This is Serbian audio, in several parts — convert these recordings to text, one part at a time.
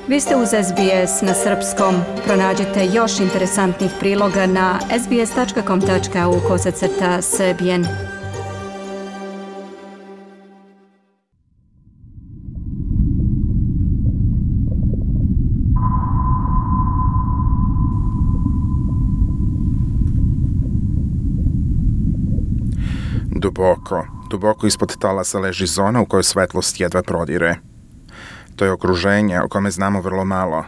Vi ste uz SBS na srpskom. Pronađite još interesantnih priloga na sbs.com.au/srbijen. Duboko ispod talasa leži zona u kojoj svetlost jedva prodire. To je okruženje o kome znamo vrlo malo.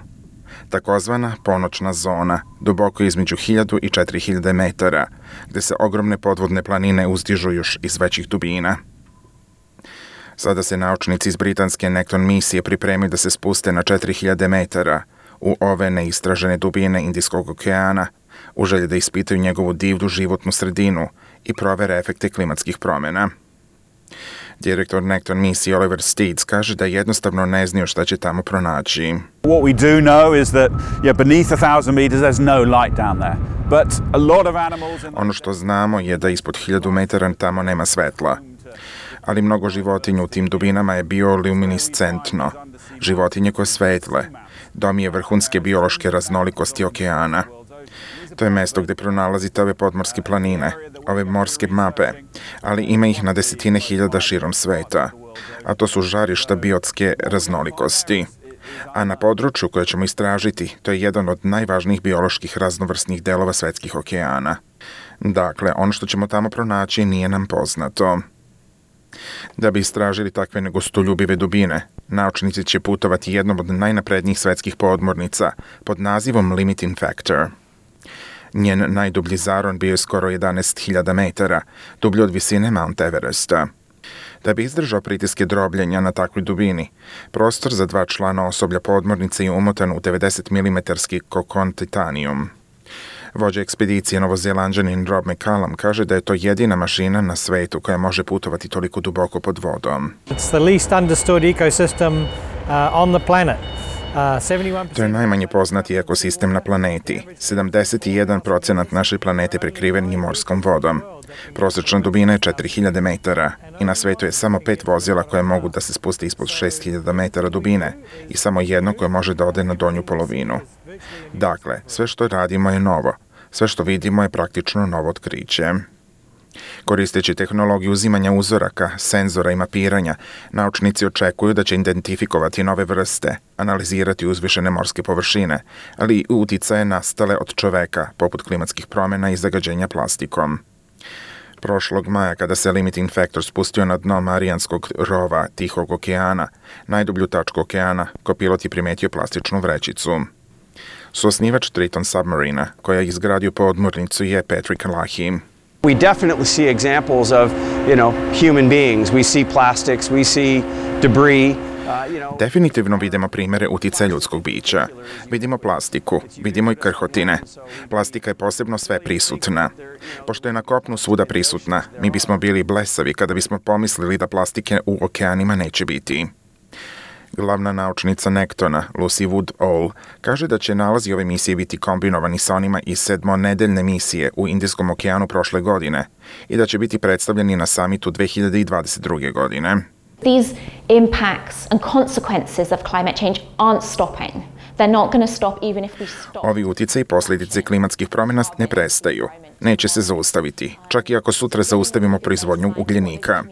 Takozvana ponoćna zona, duboko između 1000 i 4000 metara, gde se ogromne podvodne planine uzdižu još iz većih dubina. Sada se naučnici iz britanske Nekton misije pripremaju da se spuste na 4000 metara u ove neistražene dubine Indijskog okeana, u želji da ispitaju njegovu divlju životnu sredinu i provere efekte klimatskih promjena. Direktor Nekton misije Oliver Steeds kaže da jednostavno ne znaju šta će tamo pronaći. What we do know is that beneath 1000 meters there's no light down there. But a lot of animals Ono što znamo je da ispod 1000 metara tamo nema svetla. Ali mnogo životinja u tim dubinama je bioluminiscentno. Životinje koje svetle. Dom je vrhunske biološke raznolikosti okeana. To je mesto gde pronalazite ove podmorske planine, ove morske mape, ali ima ih na desetine hiljada širom sveta, a to su žarišta biotske raznolikosti. A na području koje ćemo istražiti, to je jedan od najvažnijih bioloških raznovrsnih delova svetskih okeana. Dakle, ono što ćemo tamo pronaći nije nam poznato. Da bi istražili takve negostoljubive dubine, naučnici će putovati jednom od najnaprednijih svetskih podmornica pod nazivom Limiting Factor. Njen najdublji zaron bio je skoro 11.000 metara, dublji od visine Mount Everesta. Da bi izdržao pritiske drobljenja na takvoj dubini, prostor za 2 člana osoblja podmornice je umotan u 90 mm kokon titanijum. Vođa ekspedicije Novozelanđanin Rob McCallum kaže da je to jedina mašina na svetu koja može putovati toliko duboko pod vodom. It's the least understood ecosystem on the planet. To je najmanje poznati ekosistem na planeti. 71% naše planete prekriven je morskom vodom. Prosječna dubina je 4000 metara i na svetu je samo 5 vozila koje mogu da se spuste ispod 6000 metara dubine i samo jedno koje može da ode na donju polovinu. Dakle, sve što radimo je novo. Sve što vidimo je praktično novo otkriće. Koristeći tehnologiju uzimanja uzoraka, senzora i mapiranja, naučnici očekuju da će identifikovati nove vrste, analizirati uzvišene morske površine, ali i uticaje nastale od čoveka, poput klimatskih promjena i zagađenja plastikom. Prošlog maja, kada se Limiting Factor spustio na dno Marijanskog rova Tihog okeana, najdublju tačku okeana, kopilot je primetio plastičnu vrećicu. Suosnivač Triton Submarina, koja je izgradio podmornicu, je Patrick Lahey. We definitely see examples of, human beings. We see plastics, we see debris. Definitivno vidimo primere uticaja ljudskog bića. Vidimo plastiku, vidimo i krhotine. Plastika je posebno sve prisutna. Pošto je na kopnu svuda prisutna, mi bismo bili blesavi kada bismo pomislili da plastike u okeanima neće biti. Glavna naučnica Nektona, Lucy Woodall, kaže da će nalazi ove misije biti kombinovani sa onima iz 7-nedeljne misije u Indijskom okeanu prošle godine i da će biti predstavljeni na samitu 2022. godine. These impacts and consequences of climate change aren't stopping. They're not going to stop even if we stop. Ovi uticaji i posljedice klimatskih promjena ne prestaju. Neće se zaustaviti, čak i ako sutra zaustavimo proizvodnju ugljenika.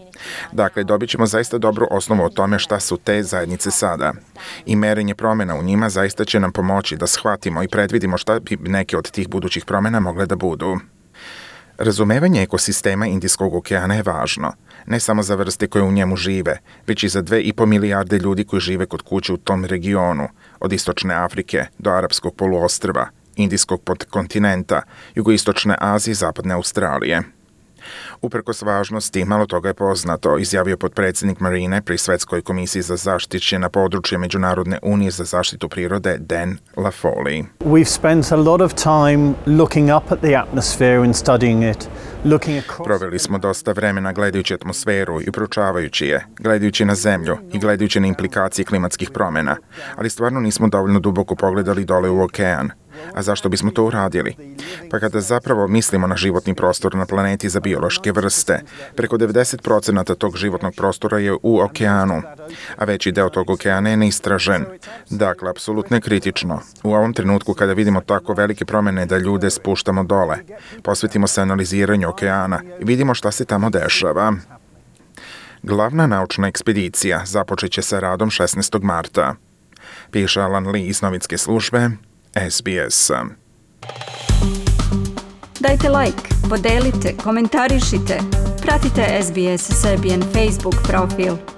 Dakle, dobit ćemo zaista dobru osnovu o tome šta su te zajednice sada. I merenje promjena u njima zaista će nam pomoći da shvatimo i predvidimo šta bi neke od tih budućih promjena mogle da budu. Razumevanje ekosistema Indijskog okeana je važno, ne samo za vrste koje u njemu žive, već i za 2,5 milijarde ljudi koji žive kod kuće u tom regionu, od istočne Afrike do Arapskog poluostrva, Indijskog podkontinenta, jugoistočne Azije i zapadne Australije. Uprkos važnosti, malo toga je poznato, izjavio potpredsjednik Marine pri Svetskoj komisiji za zaštićena područja Međunarodne unije za zaštitu prirode Dan Laffoley. We've spent a lot of time looking up at the atmosphere and studying it. Proveli smo dosta vremena gledajući atmosferu i proučavajući je, gledajući na zemlju i gledajući na implikacije klimatskih promjena, ali stvarno nismo dovoljno duboko pogledali dole u okean. A zašto bismo to uradili? Pa kada zapravo mislimo na životni prostor na planeti za biološke vrste, preko 90% tog životnog prostora je u okeanu, a veći deo tog okeana je neistražen. Dakle, apsolutno je kritično. U ovom trenutku kada vidimo tako velike promene da ljude spuštamo dole, posvetimo se analiziranju okeana i vidimo šta se tamo dešava. Glavna naučna ekspedicija započeće sa radom 16. marta. Piše Alan Lee iz novinske službe SBS. Dajte like, podelite, komentarišite. Pratite SBS Serbian Facebook profil.